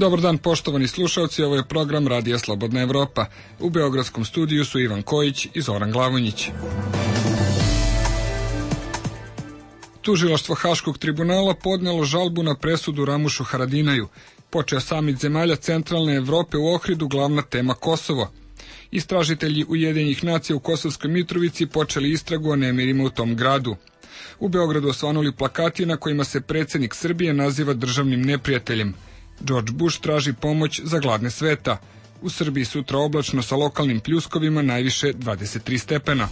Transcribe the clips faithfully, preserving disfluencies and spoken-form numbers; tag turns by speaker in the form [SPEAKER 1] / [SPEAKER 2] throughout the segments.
[SPEAKER 1] Dobar dan poštovani slušalci, ovo je program Radija Slobodna Evropa. U beogradskom studiju su Ivan Kojić i Zoran Glavonjić. Tužilaštvo Haškog tribunala podnelo žalbu na presudu Ramušu Haradinaju. Počeo samit zemalja centralne Evrope u Ohridu, glavna tema Kosovo. Istražitelji Ujedinjenih nacija u Kosovskoj Mitrovici počeli istragu o nemirima u tom gradu. U Beogradu osvanuli plakati na kojima se predsjednik Srbije naziva državnim neprijateljem. George Bush traži pomoć za gladne sveta. U Srbiji sutra oblačno sa lokalnim pljuskovima, najviše dvadeset tri stepena.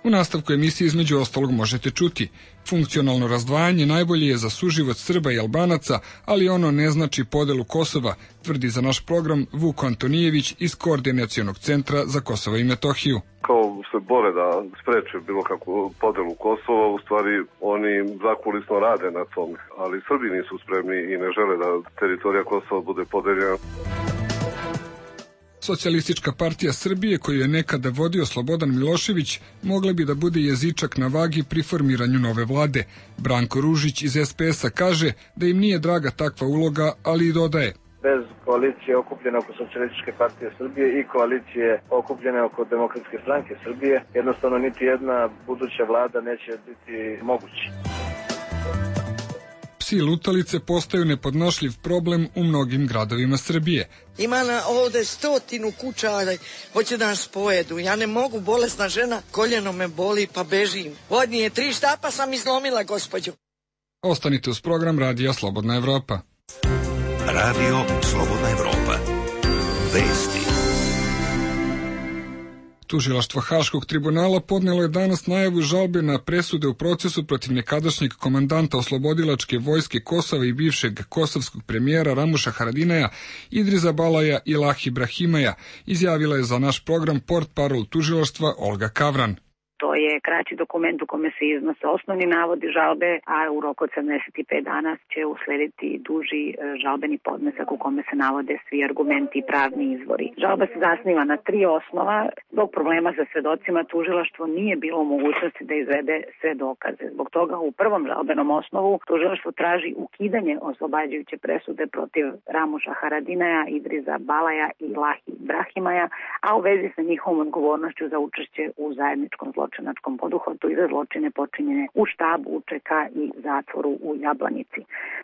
[SPEAKER 1] U nastavku emisije između ostalog možete čuti: funkcionalno razdvajanje najbolje je za suživot Srba i Albanaca, ali ono ne znači podelu Kosova, tvrdi za naš program Vuk Antonijević iz Koordinacionog centra za Kosovo i Metohiju.
[SPEAKER 2] Kao se bore da spreče bilo kakvu podelu Kosova, u stvari oni zakulisno rade na tom, ali Srbi nisu spremni i ne žele da teritorija Kosova bude podeljena.
[SPEAKER 1] Socijalistička partija Srbije, koju je nekada vodio Slobodan Milošević, mogla bi da bude jezičak na vagi pri formiranju nove vlade. Branko Ružić iz es pe es-a kaže da im nije draga takva uloga, ali i dodaje:
[SPEAKER 3] bez koalicije okupljene oko Socijalističke partije Srbije i koalicije okupljene oko Demokratske stranke Srbije, jednostavno niti jedna buduća vlada neće biti moguća.
[SPEAKER 1] Psi lutalice postaju nepodnošljiv problem u mnogim gradovima Srbije.
[SPEAKER 4] Ima na ovde stotinu kuća, hoće da nas pojedu. Ja ne mogu, bolesna žena, koljeno me boli pa bežim. Vodnije tri štapa sam izlomila, gospođo.
[SPEAKER 1] Ostanite uz program Radija Slobodna Evropa.
[SPEAKER 5] Radio Slobodna Evropa. Vesti.
[SPEAKER 1] Tužilaštvo Haškog tribunala podnelo je danas najavu žalbe na presude u procesu protiv nekadašnjeg komandanta oslobodilačke vojske Kosova i bivšeg kosovskog premijera Ramuša Haradinaja, Idriza Balaja i Lahi Ibrahimaja, izjavila je za naš program portparol tužilaštva Olga Kavran.
[SPEAKER 6] To je kraći dokument u kome se iznose osnovni navodi žalbe, a u roku od sedamdeset pet dana će uslediti duži žalbeni podnesak u kome se navode svi argumenti i pravni izvori. Žalba se zasniva na tri osnova. Zbog problema sa svedocima tužilaštvo nije bilo u mogućnosti da izvede sve dokaze. Zbog toga u prvom žalbenom osnovu tužilaštvo traži ukidanje oslobađajuće presude protiv Ramuša Haradinaja, Idriza Balaja i Lahi Ibrahimaja, a u vezi sa njihovom odgovornošću za učešće u zajedničkom zločinačkom poduhvatu i za zločine počinjene u štabu U Č K i zatvoru u Jablanici.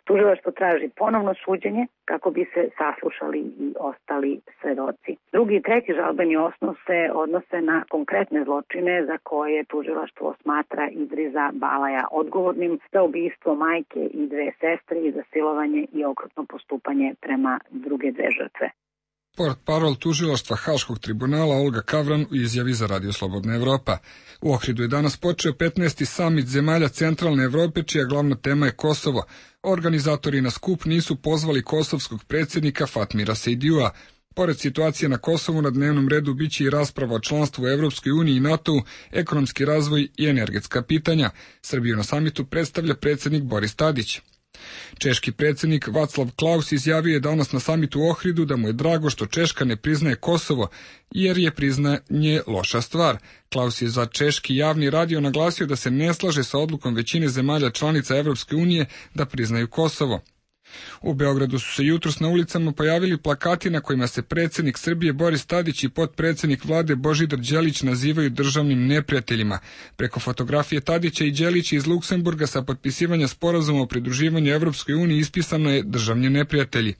[SPEAKER 6] Tužilaštvo traži ponovno suđenje kako bi se saslušali i ostali svedoci. Drugi i treći žalbeni osnov se odnose na konkretne zločine za koje tužilaštvo smatra Idriza Balaja odgovornim za ubistvo majke i dve sestre i za silovanje i okrutno postupanje prema druge dve žrtve.
[SPEAKER 1] Portparol tužilaštva Haškog tribunala Olga Kavran u izjavi za Radio Slobodna Evropa. U Ohridu je danas počeo petnaesti samit zemalja centralne Evrope, čija glavna tema je Kosovo. Organizatori na skup nisu pozvali kosovskog predsjednika Fatmira Sejdijua. Pored situacije na Kosovu, na dnevnom redu biće i rasprava o članstvu u Evropskoj uniji i NATO-u, ekonomski razvoj i energetska pitanja. Srbiju na samitu predstavlja predsjednik Boris Tadić. Češki predsjednik Václav Klaus izjavio je danas na samitu u Ohridu da mu je drago što Češka ne priznaje Kosovo, jer je priznanje loša stvar. Klaus je za češki javni radio naglasio da se ne slaže sa odlukom većine zemalja članica Evropske unije da priznaju Kosovo. U Beogradu su se jutros na ulicama pojavili plakati na kojima se predsjednik Srbije Boris Tadić i potpredsjednik vlade Božidar Đelić nazivaju državnim neprijateljima. Preko fotografije Tadića i Đelića iz Luksemburga sa potpisivanja sporazuma o pridruživanju Evropskoj uniji ispisano je državni neprijatelji.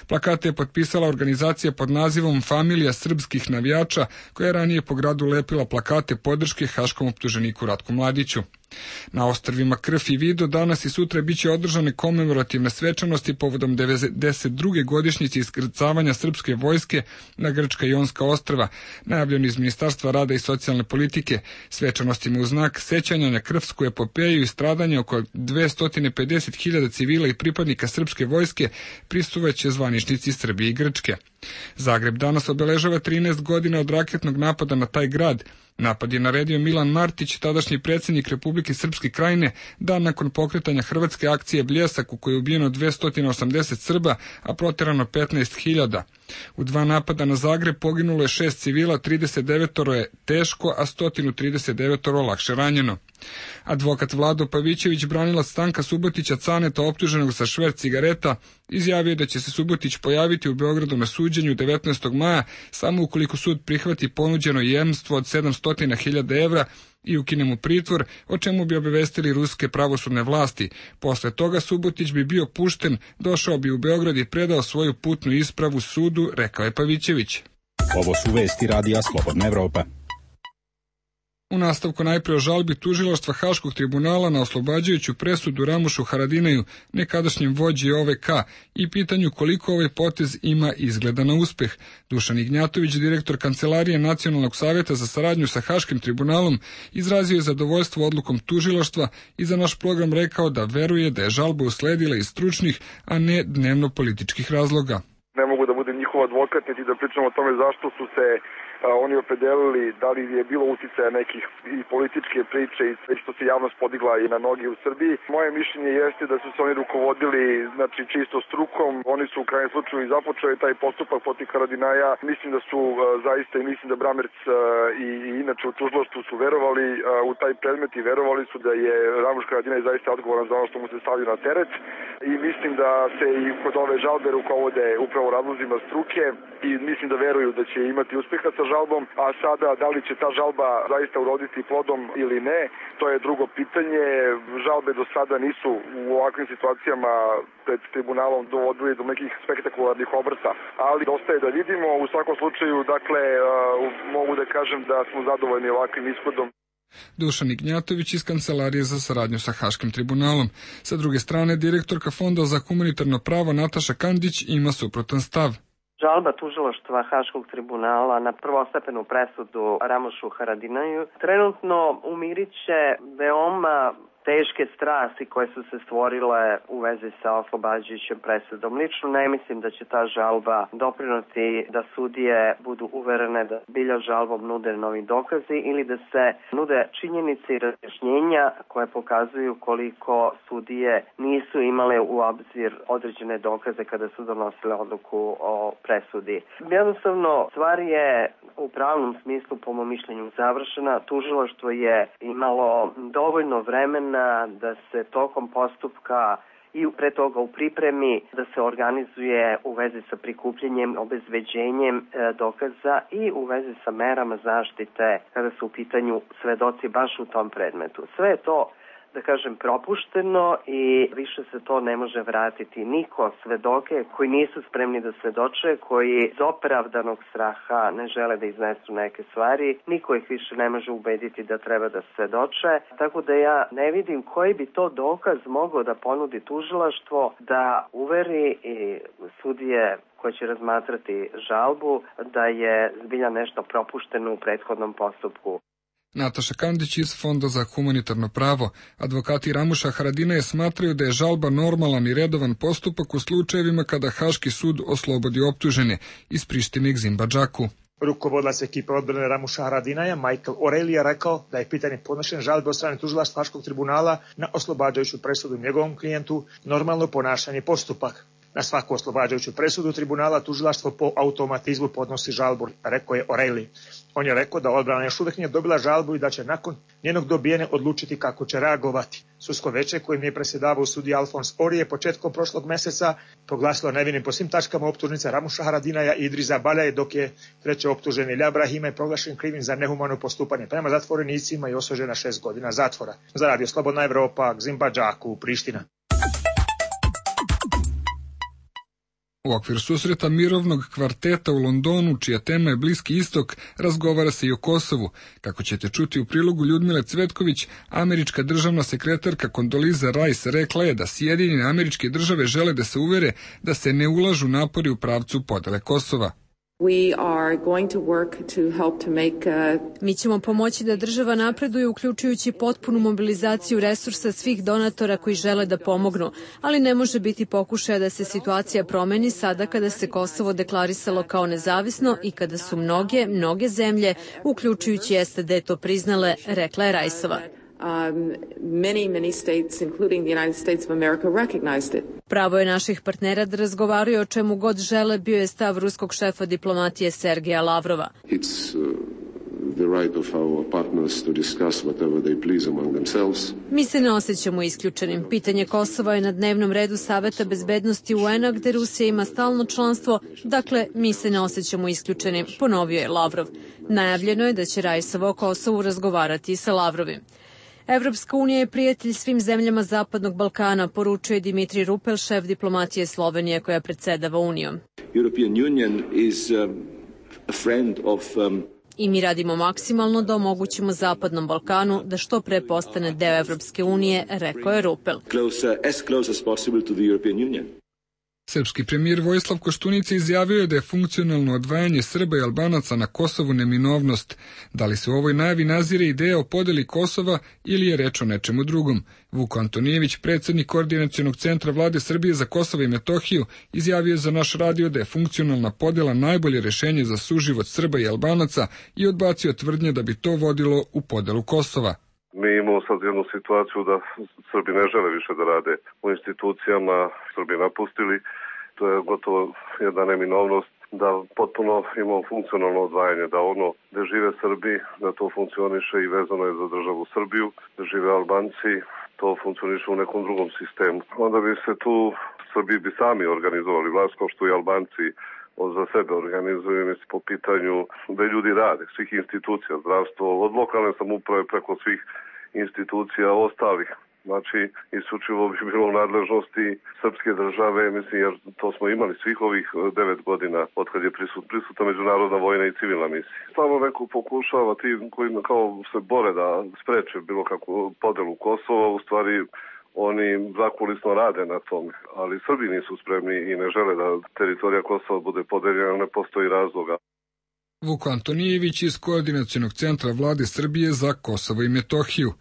[SPEAKER 1] Plakate je potpisala organizacija pod nazivom Familija srpskih navijača, koja je ranije po gradu lepila plakate podrške haškom optuženiku Ratku Mladiću. Na ostrvima Krf i Vido danas i sutra biće održane komemorativne svečanosti povodom devedeset druge godišnjice iskrcavanja srpske vojske na grčka Jonska ostrva, najavljeno iz Ministarstva rada i socijalne politike. Svečanostima u znak sećanja na krvsku epopeju i stradanje oko dvesta pedeset hiljada civila i pripadnika srpske vojske prisustvovaće zvaničnici Srbije i Grčke. Zagreb danas obeležava trinaest godina od raketnog napada na taj grad. Napad je naredio Milan Martić, tadašnji predsjednik Republike Srpske Krajine, dan nakon pokretanja hrvatske akcije Bljesak u kojoj je ubijeno dvesta osamdeset Srba, a protjerano petnaest hiljada. U dva napada na Zagreb poginulo je šest civila, trideset devet je teško, a sto trideset devet lakše ranjeno. Advokat Vlado Pavićević, branilac Stanka Subotića Caneta, optuženog za šverc cigareta, izjavio da će se Subotić pojaviti u Beogradu na suđenju devetnaestog maja samo ukoliko sud prihvati ponuđeno jemstvo od sedamsto hiljada evra i ukine mu pritvor, o čemu bi obavestili ruske pravosudne vlasti. Posle toga Subotić bi bio pušten, došao bi u Beograd i predao svoju putnu ispravu sudu, rekao je Pavićević.
[SPEAKER 7] Ovo su vesti Radija Slobodna Evropa.
[SPEAKER 1] U nastavku najpre o žalbi tužilaštva Haškog tribunala na oslobađajuću presudu Ramušu Haradinaju, nekadašnjem vođi O V K, i pitanju koliko ovaj potez ima izgleda na uspeh. Dušan Ignjatović, direktor Kancelarije Nacionalnog savjeta za saradnju sa Haškim tribunalom, izrazio je zadovoljstvo odlukom tužilaštva i za naš program rekao da veruje da je žalba usledila iz stručnih, a ne dnevno-političkih razloga.
[SPEAKER 8] Ne mogu da budem njihov advokat niti da pričam o tome zašto su se a, oni opredelili, da li je bilo uticaja nekih i političke priče i sve što se javnost podigla i na noge u Srbiji. Moje mišljenje jeste da su se oni rukovodili, znači, čisto strukom. Oni su u krajnjem slučaju i započeli taj postupak protiv Haradinaja. Mislim da su a, zaista i mislim da Bramerc a, i, i inače u tužilaštvu su verovali a, u taj predmet i verovali su da je Ramuš Haradinaj zaista odgovoran za ono što mu se stavio na teret. I mislim da se i kod ove žalbe rukovode upravo razlozima struke i mislim da veruju da će imati uspeha sa žalbom, a sada da li će ta žalba zaista uroditi plodom ili ne, to je drugo pitanje. Žalbe do sada nisu u ovakvim situacijama pred tribunalom dovodili do nekih spektakularnih obrta, ali dosta je da vidimo. U svakom slučaju, dakle, mogu da kažem da smo zadovoljni ovakvim ishodom.
[SPEAKER 1] Dušan Ignjatović iz Kancelarije za saradnju sa Haškim tribunalom. Sa druge strane, direktorka Fonda za humanitarno pravo Nataša Kandić ima suprotan stav.
[SPEAKER 9] Žalba tužilaštva Haškog tribunala na prvostepenu presudu Ramušu Haradinaju trenutno umiriće veoma teške strasti koje su se stvorile u vezi sa oslobađajućom presudom. Lično ne mislim da će ta žalba doprinoti da sudije budu uverene da bilja žalbom nude novi dokazi ili da se nude činjenice i razjašnjenja koje pokazuju koliko sudije nisu imale u obzir određene dokaze kada su donosile odluku o presudi. Jednostavno, stvar je u pravnom smislu, po mom mišljenju, završena. Tužilaštvo je imalo dovoljno vremena da se tokom postupka i pre toga u pripremi da se organizuje u vezi sa prikupljenjem, obezbeđenjem e, dokaza i u vezi sa merama zaštite kada su u pitanju svedoci baš u tom predmetu. Sve je to, da kažem, propušteno i više se to ne može vratiti. Niko svedoke koji nisu spremni da svedoče, koji iz opravdanog straha ne žele da iznesu neke stvari, niko ih više ne može ubediti da treba da svedoče. Tako da ja ne vidim koji bi to dokaz mogao da ponudi tužilaštvo da uveri i sudije koje će razmatrati žalbu da je zbilja nešto propušteno u prethodnom postupku.
[SPEAKER 1] Nataša Kandić iz Fonda za humanitarno pravo. Advokati Ramuša Haradinaja smatraju da je žalba normalan i redovan postupak u slučajevima kada Haški sud oslobodi optužene. Iz Prištine Gzimba Džaku.
[SPEAKER 10] Rukovodilac ekipe odbrane Ramuša Haradinaja Michael O'Reilly je rekao da je pitanje podnošenja žalbe od strane tužilaštva Haškog tribunala na oslobađajuću presudu njegovom klijentu normalno ponašanje postupak. Na svaku oslobađajuću presudu tribunala tužilaštvo po automatizmu podnosi žalbu, rekao je O'Reilly. On je rekao da odbrana još uvek nije dobila žalbu i da će nakon njenog dobijene odlučiti kako će reagovati. Sudsko veće kojim je predsjedavao sudija Alfons Ori je početkom prošlog meseca proglasilo nevinim po svim tačkama optužnice Ramuša Haradinaja i Idrisa Baljaje, dok je treći optuženi Ilja Brahima je proglašen krivim za nehumano postupanje prema zatvorenicima i osuđen na šest godina zatvora. Za Radio Slobodna Evropa, Gzimba Džaku, Priština.
[SPEAKER 1] U okviru susreta mirovnog kvarteta u Londonu, čija tema je Bliski istok, razgovara se i o Kosovu. Kako ćete čuti u prilogu Ljudmile Cvetković, američka državna sekretarka Condoleezza Rice rekla je da Sjedinjene Američke Države žele da se uvere da se ne ulažu napori u pravcu podele Kosova.
[SPEAKER 11] We are going to work to help to make, uh... Mi ćemo pomoći da država napreduje, uključujući potpunu mobilizaciju resursa svih donatora koji žele da pomognu, ali ne može biti pokušaja da se situacija promeni sada kada se Kosovo deklarisalo kao nezavisno i kada su mnoge, mnoge zemlje, uključujući S A D, to priznale, rekla je Rajsova.
[SPEAKER 12] many, many states, including the United States of America, recognized it.
[SPEAKER 11] Pravo je naših partnera da razgovaraju o čemu god žele, bio je stav ruskog šefa diplomatije Sergeja Lavrova.
[SPEAKER 13] It's, uh... the right of our partners to discuss whatever they please among themselves.
[SPEAKER 11] Mi se ne osjećamo isključenim. Pitanje Kosova je na dnevnom redu Saveta bezbednosti U N-a, gde Rusija ima stalno članstvo, dakle, mi se ne osjećamo isključenim, ponovio je Lavrov. Najavljeno je da će Rajsova o Kosovu razgovarati sa Lavrovim. Evropska unija je prijatelj svim zemljama Zapadnog Balkana, poručuje Dimitrij Rupel, šef diplomatije Slovenije koja predsedava Unijom.
[SPEAKER 14] European Union is um, a friend of um,
[SPEAKER 11] I mi radimo maksimalno da omogućimo Zapadnom Balkanu da što pre postane deo Evropske unije, rekao je Rupel.
[SPEAKER 14] Closer, as close as possible to the European Union.
[SPEAKER 1] Srpski premijer Vojislav Koštunica izjavio je da je funkcionalno odvajanje Srba i Albanaca na Kosovu neminovnost. Da li se u ovoj najavi nazire ideja o podeli Kosova ili je reč o nečemu drugom? Vuko Antonijević, predsjednik Koordinacionog centra Vlade Srbije za Kosovo i Metohiju, izjavio je za naš radio da je funkcionalna podela najbolje rešenje za suživot Srba i Albanaca i odbacio tvrdnje da bi to vodilo u podelu Kosova.
[SPEAKER 2] Mi imamo sad jednu situaciju da Srbi ne žele više da rade u institucijama, Srbi napustili, to je gotovo jedna neminovnost da potpuno imamo funkcionalno odvajanje, da ono gde žive Srbi, da to funkcioniše i vezano je za državu Srbiju, da žive Albanci, to funkcioniše u nekom drugom sistemu. Onda bi se tu Srbi bi sami organizovali vlast kao što i Albanci za sebe organizuju mislim, po pitanju da ljudi rade, svih institucija, zdravstvo, od lokalne samouprave preko svih institucija ostalih. Znači, isključivo bi bilo u nadležnosti srpske države, mislim, jer to smo imali svih ovih devet godina od kad je prisut, prisutna međunarodna vojna i civilna misija. Stvarno neko pokušava, ti koji kao se bore da spreče bilo kakvu podelu Kosova, u stvari oni zakulisno rade na tome, ali Srbi nisu spremni i ne žele da teritorija Kosova bude podeljena, ne postoji razloga.
[SPEAKER 1] Vuko Antonijević iz Koordinacionog centra Vlade Srbije za Kosovo i Metohiju.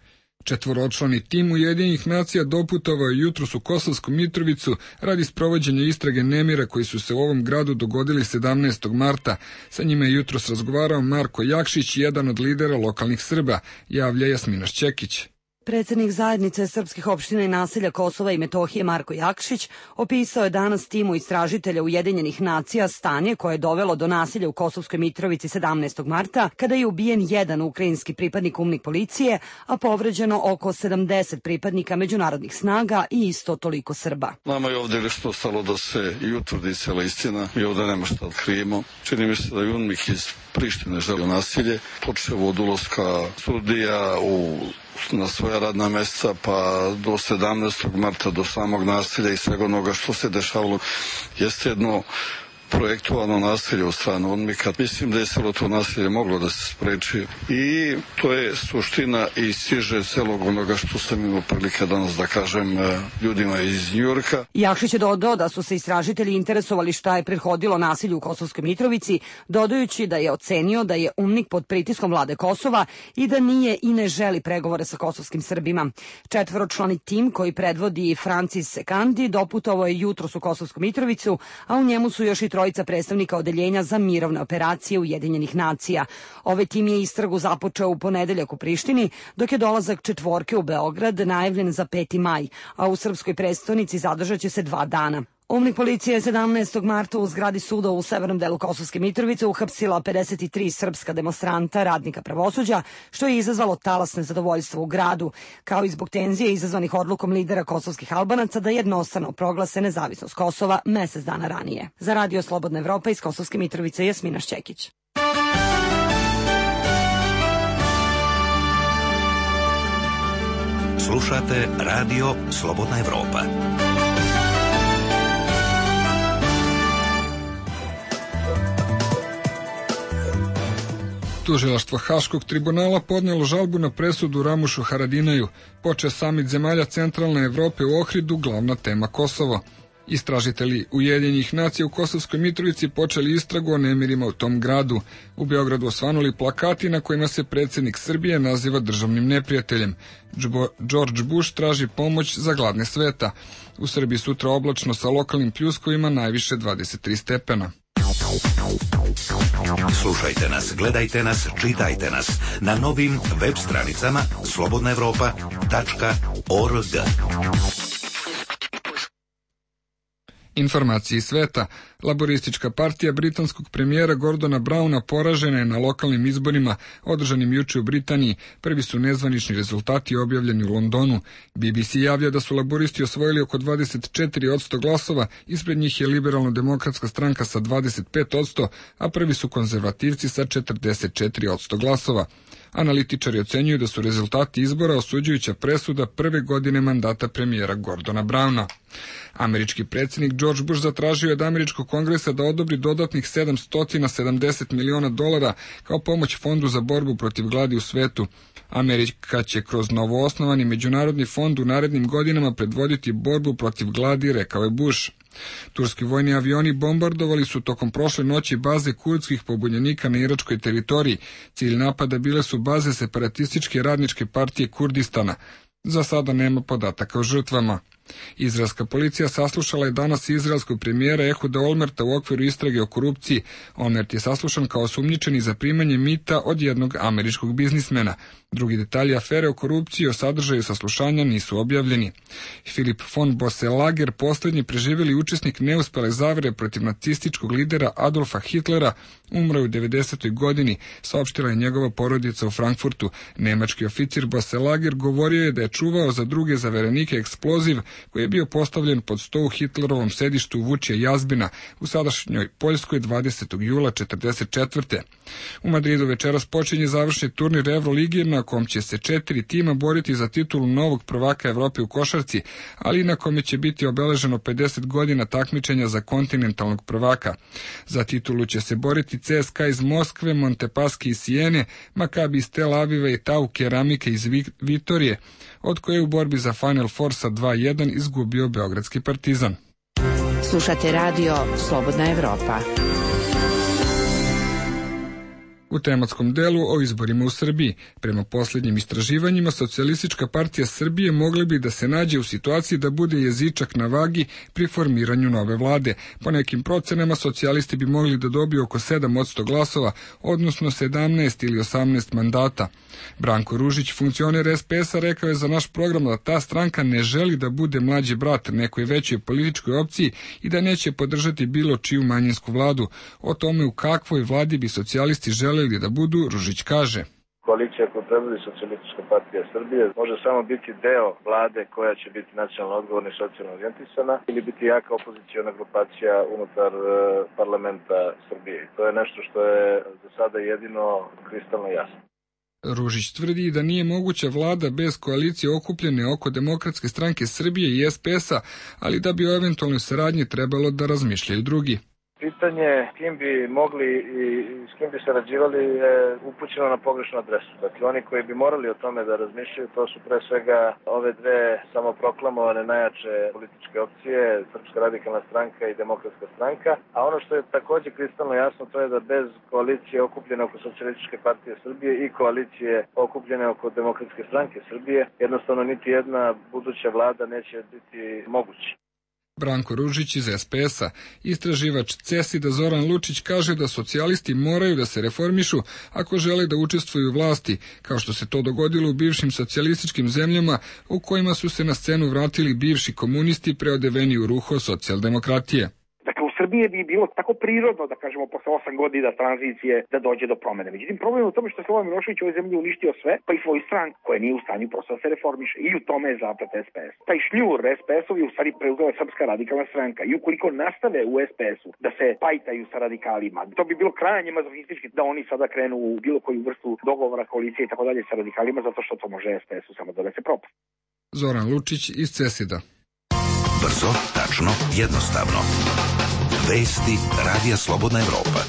[SPEAKER 1] Četvoročlani tim Ujedinjenih nacija doputovao je jutros u Kosovsku Mitrovicu radi sprovođenja istrage nemira koji su se u ovom gradu dogodili sedamnaestog marta. Sa njima je jutros razgovarao Marko Jakšić, jedan od lidera lokalnih Srba, javlja Jasmina Šćekić.
[SPEAKER 15] Predsednik zajednice srpskih opština i naselja Kosova i Metohije Marko Jakšić opisao je danas timu istražitelja Ujedinjenih nacija stanje koje je dovelo do nasilja u Kosovskoj Mitrovici sedamnaestog marta, kada je ubijen jedan ukrajinski pripadnik umnik policije, a povređeno oko sedamdeset pripadnika međunarodnih snaga i isto toliko Srba.
[SPEAKER 16] Nama je ovdje nešto ostalo da se i utvrdi cela istina. Mi ovdje nema šta otkrijemo. Čini mi se da je UNMIK iz Prištine želio nasilje. Počeo od ulaska sudija u na svoja radna mesta pa do sedamnaestog marta, do samog nasilja i svega onoga što se dešavalo, jeste jedno projektovano nasilje u stranu UNMIK-a. Mislim da je celo to nasilje moglo da se spreči i to je suština i stiže celog onoga što sam imao prilike danas da kažem ljudima iz Njujorka.
[SPEAKER 15] Jakšić je dodao da su se istražitelji interesovali šta je prethodilo nasilju u Kosovskoj Mitrovici, dodajući da je ocenio da je UNMIK pod pritiskom vlade Kosova i da nije i ne želi pregovore sa kosovskim Srbima. Četvoročlani tim koji predvodi Francis Sekandi doputovao je jutros u Kosovsku Mitrovicu, a u njemu su još i trojica predstavnika odeljenja za mirovne operacije Ujedinjenih nacija. Ovaj tim je istragu započeo u ponedeljak u Prištini, dok je dolazak četvorke u Beograd najavljen za peti maj, a u srpskoj prestonici zadržat će se dva dana. Umnik policije je sedamnaestog marta u zgradi suda u severnom delu Kosovske Mitrovice uhapsila pedeset tri srpska demonstranta, radnika pravosuđa, što je izazvalo talas nezadovoljstva u gradu, kao i zbog tenzije izazvanih odlukom lidera kosovskih Albanaca da jednostrano proglase nezavisnost Kosova mesec dana ranije. Za Radio Slobodna Evropa iz Kosovske Mitrovice, Jasmina Šćekić.
[SPEAKER 5] Slušate Radio Slobodna Evropa.
[SPEAKER 1] Tužilaštvo Haškog tribunala podnelo žalbu na presudu Ramušu Haradinaju. Počeo samit zemalja centralne Evrope u Ohridu, glavna tema Kosovo. Istražitelji Ujedinjenih nacija u Kosovskoj Mitrovici počeli istragu o nemirima u tom gradu. U Beogradu osvanuli plakati na kojima se predsjednik Srbije naziva državnim neprijateljem. George Bush traži pomoć za gladne sveta. U Srbiji sutra oblačno sa lokalnim pljuskovima, najviše dvadeset tri stepena.
[SPEAKER 5] Slušajte nas, gledajte nas, čitajte nas na novim web stranicama slobodna evropa tačka org.
[SPEAKER 1] Informacije iz sveta. Laboristička partija britanskog premijera Gordona Browna poražena je na lokalnim izborima održanim juče u Britaniji. Prvi su nezvanični rezultati objavljeni u Londonu. B B C javlja da su laboristi osvojili oko dvadeset četiri posto glasova, ispred njih je liberalno-demokratska stranka sa dvadeset pet posto, a prvi su konzervativci sa četrdeset četiri posto glasova. Analitičari ocenjuju da su rezultati izbora osuđujuća presuda prve godine mandata premijera Gordona Browna. Američki predsjednik George Bush zatražio je od američkog kongresa da odobri dodatnih sedamsto sedamdeset miliona dolara kao pomoć fondu za borbu protiv gladi u svetu. Amerika će kroz novoosnovani međunarodni fond u narednim godinama predvoditi borbu protiv gladi, rekao je Bush. Turski vojni avioni bombardovali su tokom prošle noći baze kurdskih pobunjenika na iračkoj teritoriji. Cilj napada bile su baze separatističke radničke partije Kurdistana. Za sada nema podataka o žrtvama. Izraelska policija saslušala je danas izraelskog premijera Ehuda Olmerta u okviru istrage o korupciji. Olmert je saslušan kao osumnjičeni za primanje mita od jednog američkog biznismena. Drugi detalji afere o korupciji o sadržaju saslušanja nisu objavljeni. Filip von Bosselager, posljednji preživjeli učesnik neuspele zavere protiv nacističkog lidera Adolfa Hitlera, umro je u devedesetoj godini, saopštila je njegova porodica u Frankfurtu. Nemački oficir Bosselager govorio je da je čuvao za druge zaverenike eksploziv koji je bio postavljen pod sto u Hitlerovom sedištu Vučija Jazbina u sadašnjoj Poljskoj dvadesetog jula četrdeset četvrte. U Madridu večeras počinje završni turnir Evrolige na kom će se četiri tima boriti za titulu novog prvaka Evrope u košarci, ali i na kome će biti obeleženo pedeset godina takmičenja za kontinentalnog prvaka. Za titulu će se boriti C S K A iz Moskve, Montepaschi iz Sijene, Maccabi iz Tel Aviva i Tau Keramike iz Vitorije, od koje u borbi za Final Four sa dva jedan izgubio beogradski Partizan.
[SPEAKER 17] Slušate radio Slobodna Evropa.
[SPEAKER 1] U tematskom delu o izborima u Srbiji. Prema posljednjim istraživanjima, Socijalistička partija Srbije mogla bi da se nađe u situaciji da bude jezičak na vagi pri formiranju nove vlade. Po nekim procenama, socijalisti bi mogli da dobiju oko sedam posto glasova, odnosno sedamnaest ili osamnaest mandata. Branko Ružić, funkcioner S P S-a, rekao je za naš program da ta stranka ne želi da bude mlađi brat nekoj većoj političkoj opciji i da neće podržati bilo čiju manjinsku vladu. O tome u kakvoj vladi bi socijalisti želeli da budu, Ružić kaže.
[SPEAKER 3] Koalicija koju predvodi Socijalistička partija Srbije može samo biti deo vlade koja će biti nacionalno odgovorna i socijalno orijentisana ili biti jaka opoziciona grupacija unutar parlamenta Srbije. To je nešto što je za sada jedino kristalno jasno.
[SPEAKER 1] Ružić tvrdi da nije moguća vlada bez koalicije okupljene oko Demokratske stranke Srbije i S P S-a, ali da bi o eventualnoj saradnji trebalo da razmišljaju drugi.
[SPEAKER 3] Pitanje kim bi mogli i s kim bi sarađivali je upućeno na pogrešnu adresu. Dakle, oni koji bi morali o tome da razmišljaju, to su pre svega ove dve samoproklamovane najjače političke opcije, Srpska radikalna stranka i Demokratska stranka. A ono što je također kristalno jasno, to je da bez koalicije okupljene oko Socijalističke partije Srbije i koalicije okupljene oko Demokratske stranke Srbije, jednostavno niti jedna buduća vlada neće biti moguća.
[SPEAKER 1] Branko Ružić iz S P S-a. Istraživač CESID-a Zoran Lučić kaže da socijalisti moraju da se reformišu ako žele da učestvuju u vlasti, kao što se to dogodilo u bivšim socijalističkim zemljama u kojima su se na scenu vratili bivši komunisti preodeveni u ruho socijaldemokratije.
[SPEAKER 18] Srbije bi bilo tako prirodno, da kažemo, posle osam godina tranzicije da dođe do promene. Međutim, problem je u tome što je Slobodan Milošević u ovoj zemlji uništio sve, pa i svoju stranku koja nije u stanju prosto da se reformiše. I u tome je zaplet S P S. Taj šljur S P S-ov je u stvari preuzela Srpska radikalna stranka. I ukoliko nastave u S P S-u da se pajtaju sa radikalima, to bi bilo krajnje mazohistički da oni sada krenu u bilo koju vrstu dogovora, koalicije i tako dalje sa radikalima, zato što to može S P S-u samo dovesti propast.
[SPEAKER 1] Zoran Lučić iz CESID-a.
[SPEAKER 5] Brzo, tačno, jednostavno. Vesti Radija Slobodna Evropa.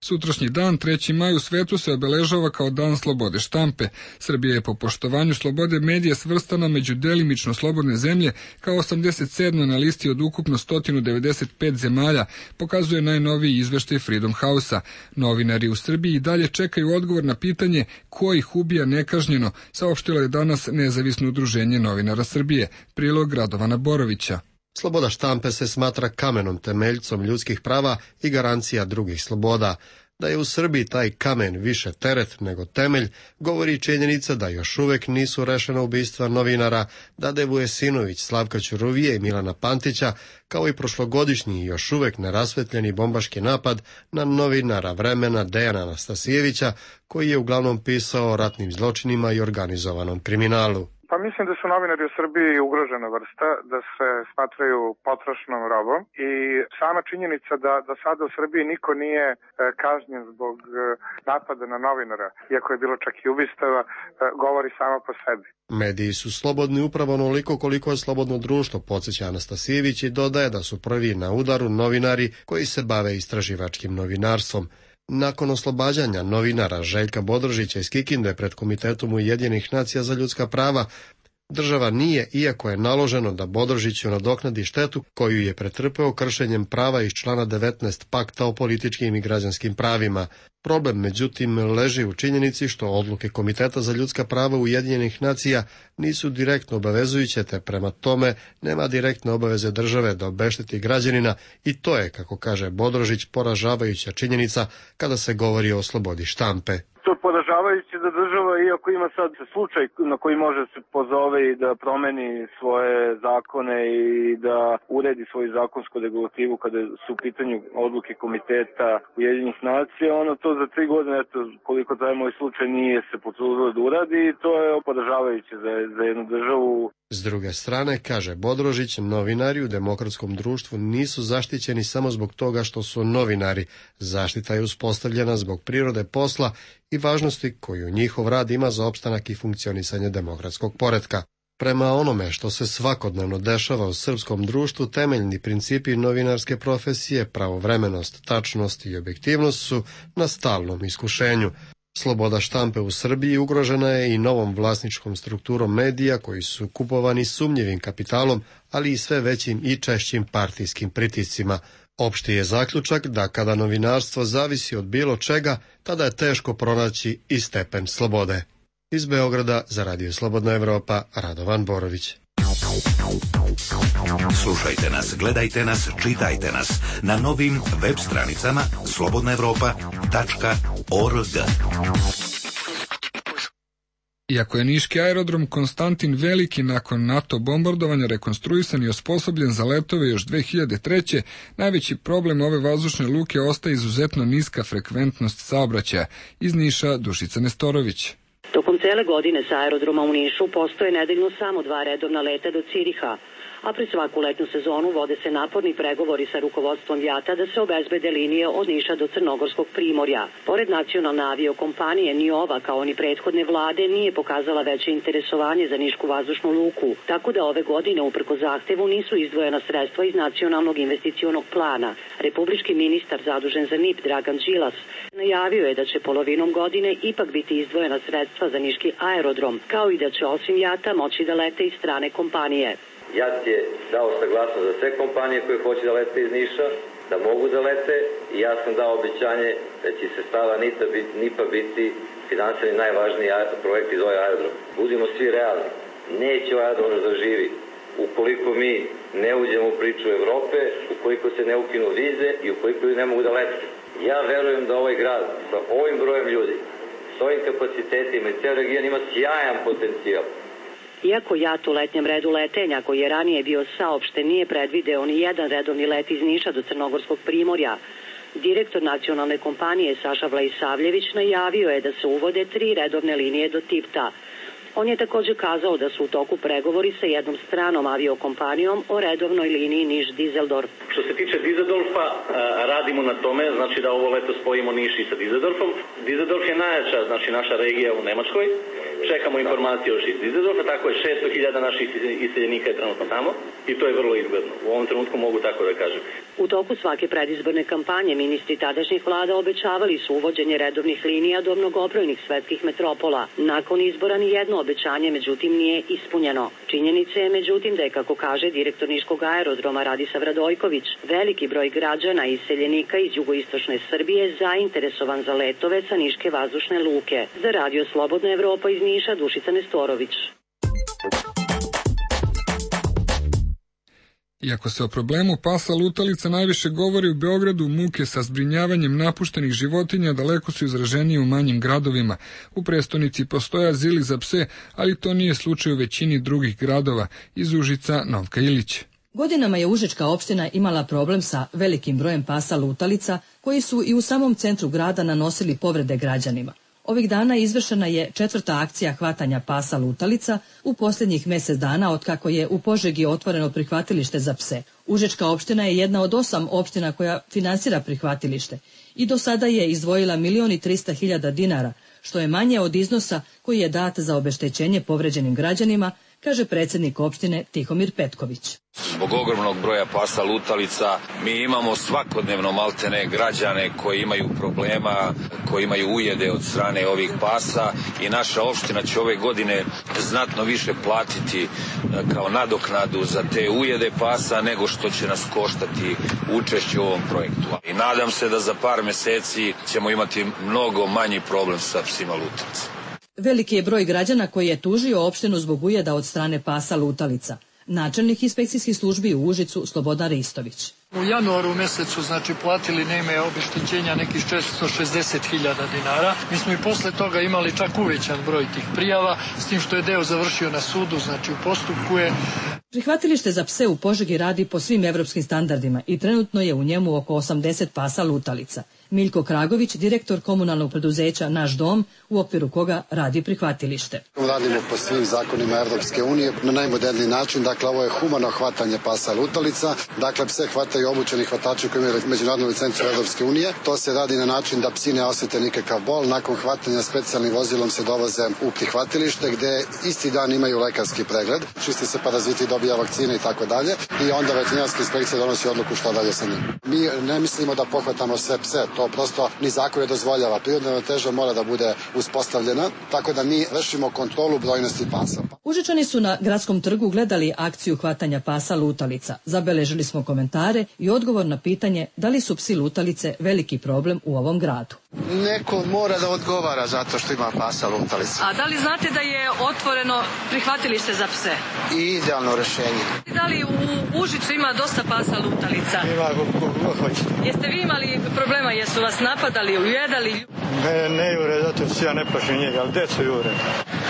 [SPEAKER 1] Sutrašnji dan, treći maj, u svetu se obeležava kao Dan slobode štampe. Srbija je po poštovanju slobode medija svrstana među delimično slobodne zemlje kao osamdeset sedma na listi od ukupno sto devedeset pet zemalja, pokazuje najnoviji izveštaj Freedom House-a. Novinari u Srbiji i dalje čekaju odgovor na pitanje ko ih ubija nekažnjeno, saopštilo je danas Nezavisno udruženje novinara Srbije. Prilog Radovana Borovića.
[SPEAKER 19] Sloboda štampe se smatra kamenom temeljcom ljudskih prava i garancija drugih sloboda. Da je u Srbiji taj kamen više teret nego temelj, govori činjenica da još uvek nisu rešena ubistva novinara Dade Vujesinović, Slavka Ćuruvije i Milana Pantića, kao i prošlogodišnji još uvek nerasvetljeni bombaški napad na novinara Vremena Dejana Anastasijevića, koji je uglavnom pisao o ratnim zločinima i organizovanom kriminalu.
[SPEAKER 8] Pa mislim da su novinari u Srbiji ugrožena vrsta, da se smatraju potrošnom robom i sama činjenica da, da sada u Srbiji niko nije e, kažnjen zbog e, napada na novinara, iako je bilo čak i ubistava, e, govori samo po sebi.
[SPEAKER 19] Mediji su slobodni upravo onoliko koliko je slobodno društvo, podsjeća Anastasijević i dodaje da su prvi na udaru novinari koji se bave istraživačkim novinarstvom. Nakon oslobađanja novinara Željka Bodrožića iz Kikinde pred Komitetom Ujedinjenih nacija za ljudska prava, država nije, iako je naloženo da Bodrožiću nadoknadi štetu koju je pretrpeo kršenjem prava iz člana devetnaest Pakta o političkim i građanskim pravima. Problem, međutim, leži u činjenici što odluke Komiteta za ljudska prava Ujedinjenih nacija nisu direktno obavezujuće, te prema tome nema direktne obaveze države da obešteti građanina i to je, kako kaže Bodrožić, poražavajuća činjenica kada se govori o slobodi štampe.
[SPEAKER 3] To je poražavajuće da država, iako ima sad slučaj na koji može se pozove i da promeni svoje zakone i da uredi svoju zakonsku regulativu kada su u pitanju odluke Komiteta Ujedinjenih nacija, ono to za tri godine, eto, koliko traje moj slučaj, nije se potrudilo da uradi i to je poražavajuće za, za jednu državu.
[SPEAKER 19] S druge strane, kaže Bodrožić, novinari u demokratskom društvu nisu zaštićeni samo zbog toga što su novinari. Zaštita je uspostavljena zbog prirode posla i važnosti koju njihov rad ima za opstanak i funkcionisanje demokratskog poretka. Prema onome što se svakodnevno dešava u srpskom društvu, temeljni principi novinarske profesije, pravovremenost, tačnost i objektivnost su na stalnom iskušenju. Sloboda štampe u Srbiji ugrožena je i novom vlasničkom strukturom medija koji su kupovani sumnjivim kapitalom, ali i sve većim i češćim partijskim pritiscima. Opšti je zaključak da kada novinarstvo zavisi od bilo čega, tada je teško pronaći i stepen slobode. Iz Beograda za Radio Slobodna Evropa, Radovan Borović.
[SPEAKER 5] Slušajte nas, gledajte nas, čitajte nas na novim web stranicama slobodna evropa tačka org.
[SPEAKER 1] Iako je niški aerodrom Konstantin Veliki nakon NATO bombardovanja rekonstruisan i osposobljen za letove još dve hiljade treće. najveći problem ove vazdušne luke ostaje izuzetno niska frekventnost saobraćaja. Iz Niša, Dušica Nestorović.
[SPEAKER 20] Tokom cele godine sa aerodroma u Nišu postoje nedeljno samo dva redovna leta do Ciriha, a pred svaku letnu sezonu vode se naporni pregovori sa rukovodstvom JAT-a da se obezbede linije od Niša do Crnogorskog primorja. Pored nacionalne aviokompanije, ni ova, kao ni prethodne vlade, nije pokazala veće interesovanje za nišku vazdušnu luku, tako da ove godine, uprko zahtevu, nisu izdvojena sredstva iz nacionalnog investicionog plana. Republički ministar zadužen za N I P, Dragan Đilas, najavio je da će polovinom godine ipak biti izdvojena sredstva za niški aerodrom, kao i da će osim JAT-a moći da lete i strane kompanije.
[SPEAKER 21] JAT je dao saglasnost za sve kompanije koje hoće da lete iz Niša, da mogu da lete i ja sam dao obećanje da će se stava N I P-a biti finansirani najvažniji projekt iz ovaj aerodrom. Budimo svi realni, neće ovaj aerodrom da zaživi ukoliko mi ne uđemo u priču Evrope, ukoliko se ne ukinu vize i ukoliko ljudi ne mogu da lete. Ja verujem da ovaj grad sa ovim brojem ljudi, s ovim kapacitetima i ceo region ima sjajan potencijal.
[SPEAKER 20] Iako JAT u letnjem redu letenja, koji je ranije bio saopšten, nije predvideo ni jedan redovni let iz Niša do Crnogorskog primorja, direktor nacionalne kompanije Saša Vlaisavljević najavio je da se uvode tri redovne linije do Tipta. On je također kazao da su u toku pregovori sa jednom stranom aviokompanijom o redovnoj liniji Niš-Dizeldorf.
[SPEAKER 22] Što se tiče Dizeldorfa, radimo na tome, znači da ovo leto spojimo Niš i sa Dizeldorfom. Dizeldorf je najjača, znači naša regija u Nemačkoj. Čekamo informacije još iz Dizeldorfa, tako je šesto hiljada naših iseljenika je trenutno tamo i to je vrlo izgledno. U ovom trenutku mogu tako da kažem.
[SPEAKER 20] U toku svake predizborne kampanje ministri tadašnjih vlada obećavali su uvođenje redovnih linija do mnogobrojnih svetskih metropola. Nakon izbora ni jedno obećanje međutim nije ispunjeno. Činjenica je međutim da je, kako kaže direktor niškog aerodroma Radisav Radojković, veliki broj građana i iseljenika iz jugoistočne Srbije zainteresovan za letove sa niške vazdušne luke. Za Radio Slobodna Evropa iz Niša, Dušica Nestorović.
[SPEAKER 1] Iako se o problemu pasa lutalica najviše govori u Beogradu, muke sa zbrinjavanjem napuštenih životinja daleko su izraženije u manjim gradovima. U prestonici postoje azili za pse, ali to nije slučaj u većini drugih gradova. Iz Užica, Novka Ilić.
[SPEAKER 4] Godinama je Užička opština imala problem sa velikim brojem pasa lutalica, koji su i u samom centru grada nanosili povrede građanima. Ovih dana izvršena je četvrta akcija hvatanja pasa lutalica u posljednjih mjesec dana otkako je u Požegi otvoreno prihvatilište za pse. Užička opština je jedna od osam opština koja finansira prihvatilište i do sada je izdvojila milion i trista hiljada dinara, što je manje od iznosa koji je dat za obeštećenje povređenim građanima, kaže predsjednik opštine Tihomir Petković.
[SPEAKER 6] Zbog ogromnog broja pasa lutalica mi imamo svakodnevno maltene građane koji imaju problema, koji imaju ujede od strane ovih pasa i naša opština će ove godine znatno više platiti kao nadoknadu za te ujede pasa nego što će nas koštati učešće u ovom projektu. I nadam se da za par meseci ćemo imati mnogo manji problem sa psima lutalica.
[SPEAKER 4] Veliki je broj građana koji je tužio opštinu zbog ujeda od strane pasa lutalica. Načelnik inspekcijskih službi u Užicu Slobodan Ristović.
[SPEAKER 23] U januaru mjesecu znači platili na ime obeštećenja nekih četiristo šezdeset hiljada dinara. Mi smo i posle toga imali čak uvećan broj tih prijava, s tim što je deo završio na sudu, znači u postupku je.
[SPEAKER 4] Prihvatilište za pse u Požegi radi po svim evropskim standardima i trenutno je u njemu oko osamdeset pasa lutalica. Miljko Kragović, direktor komunalnog preduzeća Naš dom, u okviru koga radi prihvatilište.
[SPEAKER 24] Radimo po svim zakonima Evropske unije na najmoderniji način, dakle ovo je humano hvatanje pasa lutalica, dakle pse hvataju obučeni hvatači koji imaju međunarodnu licencu Evropske unije. To se radi na način da psi ne osjete nikakav bol, nakon hvatanja specijalnim vozilom se dovoze u prihvatilište gde isti dan imaju lekarski pregled, čisti se paraziti, dobija vakcine i tako dalje i onda veterinarska inspekcija donosi odluku šta dalje sa njim. Mi ne mislimo da pohvatamo sve pse, to prosto ni zakon ne dozvoljava. Prirodna ravnoteža mora da bude uspostavljena, tako da mi vršimo kontrolu brojnosti pasa.
[SPEAKER 4] Užičani su na gradskom trgu gledali akciju hvatanja pasa lutalica. Zabeležili smo komentare i odgovor na pitanje da li su psi lutalice veliki problem u ovom gradu.
[SPEAKER 25] Neko mora da odgovara zato što ima pasa lutalica.
[SPEAKER 4] A da li znate da je otvoreno prihvatilište za pse?
[SPEAKER 25] I idealno rešenje.
[SPEAKER 4] Da li u Užicu ima dosta pasa lutalica?
[SPEAKER 25] Ima kako hoćete.
[SPEAKER 4] Jeste vi imali problema, jesu vas napadali, ujedali?
[SPEAKER 25] Ne, ne jure, zato se ja ne plašim njega, ali decu jure.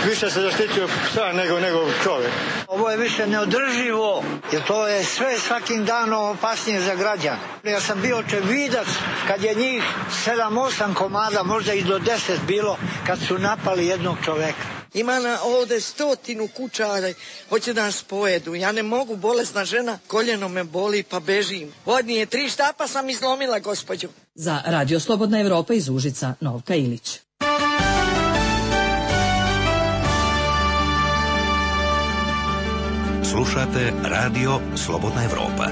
[SPEAKER 25] Više se zaštitio psa nego, nego čovjek.
[SPEAKER 26] Ovo je više neodrživo, jer to je sve svakim danom opasnije za građane. Ja sam bio očevidac kad je njih sedam osam komada, možda i do deset bilo, kad su napali jednog čoveka.
[SPEAKER 27] Ima na ovde stotinu kućara, hoće da nas pojedu. Ja ne mogu, bolesna žena, koljeno me boli pa bežim. Vodnije tri štapa sam izlomila, gospođo.
[SPEAKER 4] Za Radio Slobodna Evropa iz Užica, Novka Ilić.
[SPEAKER 5] Slušate Radio Slobodna Evropa.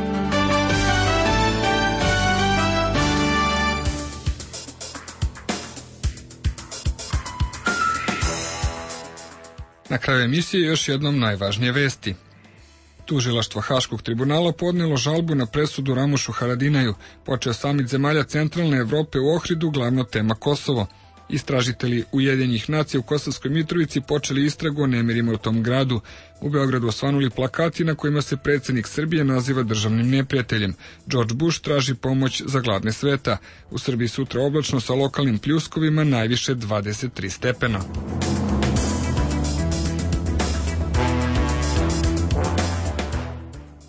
[SPEAKER 1] Na kraju emisije još jednom najvažnije vesti. Tužilaštvo Haškog tribunala podnijelo žalbu na presudu Ramušu Haradinaju. Počeo samit zemalja centralne Evrope u Ohridu, glavna tema Kosovo. Istražitelji Ujedinjenih nacija u Kosovskoj Mitrovici počeli istragu o nemirima u tom gradu. U Beogradu osvanuli plakati na kojima se predsjednik Srbije naziva državnim neprijateljem. George Bush traži pomoć za gladne sveta. U Srbiji sutra oblačno sa lokalnim pljuskovima, najviše dvadeset tri stepena.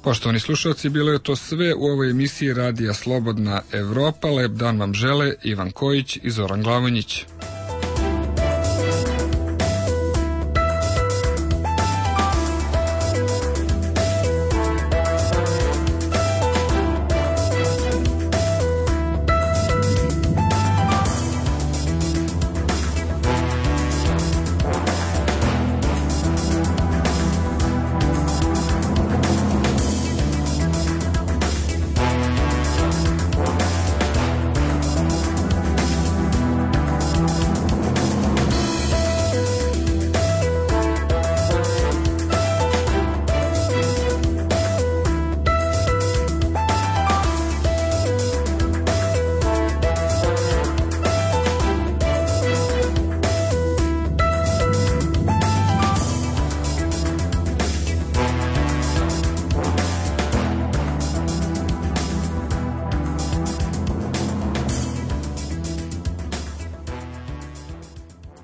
[SPEAKER 1] Poštovani slušalci, bilo je to sve u ovoj emisiji Radija Slobodna Evropa. Lep dan vam žele Ivan Kojić i Zoran Glavonjić.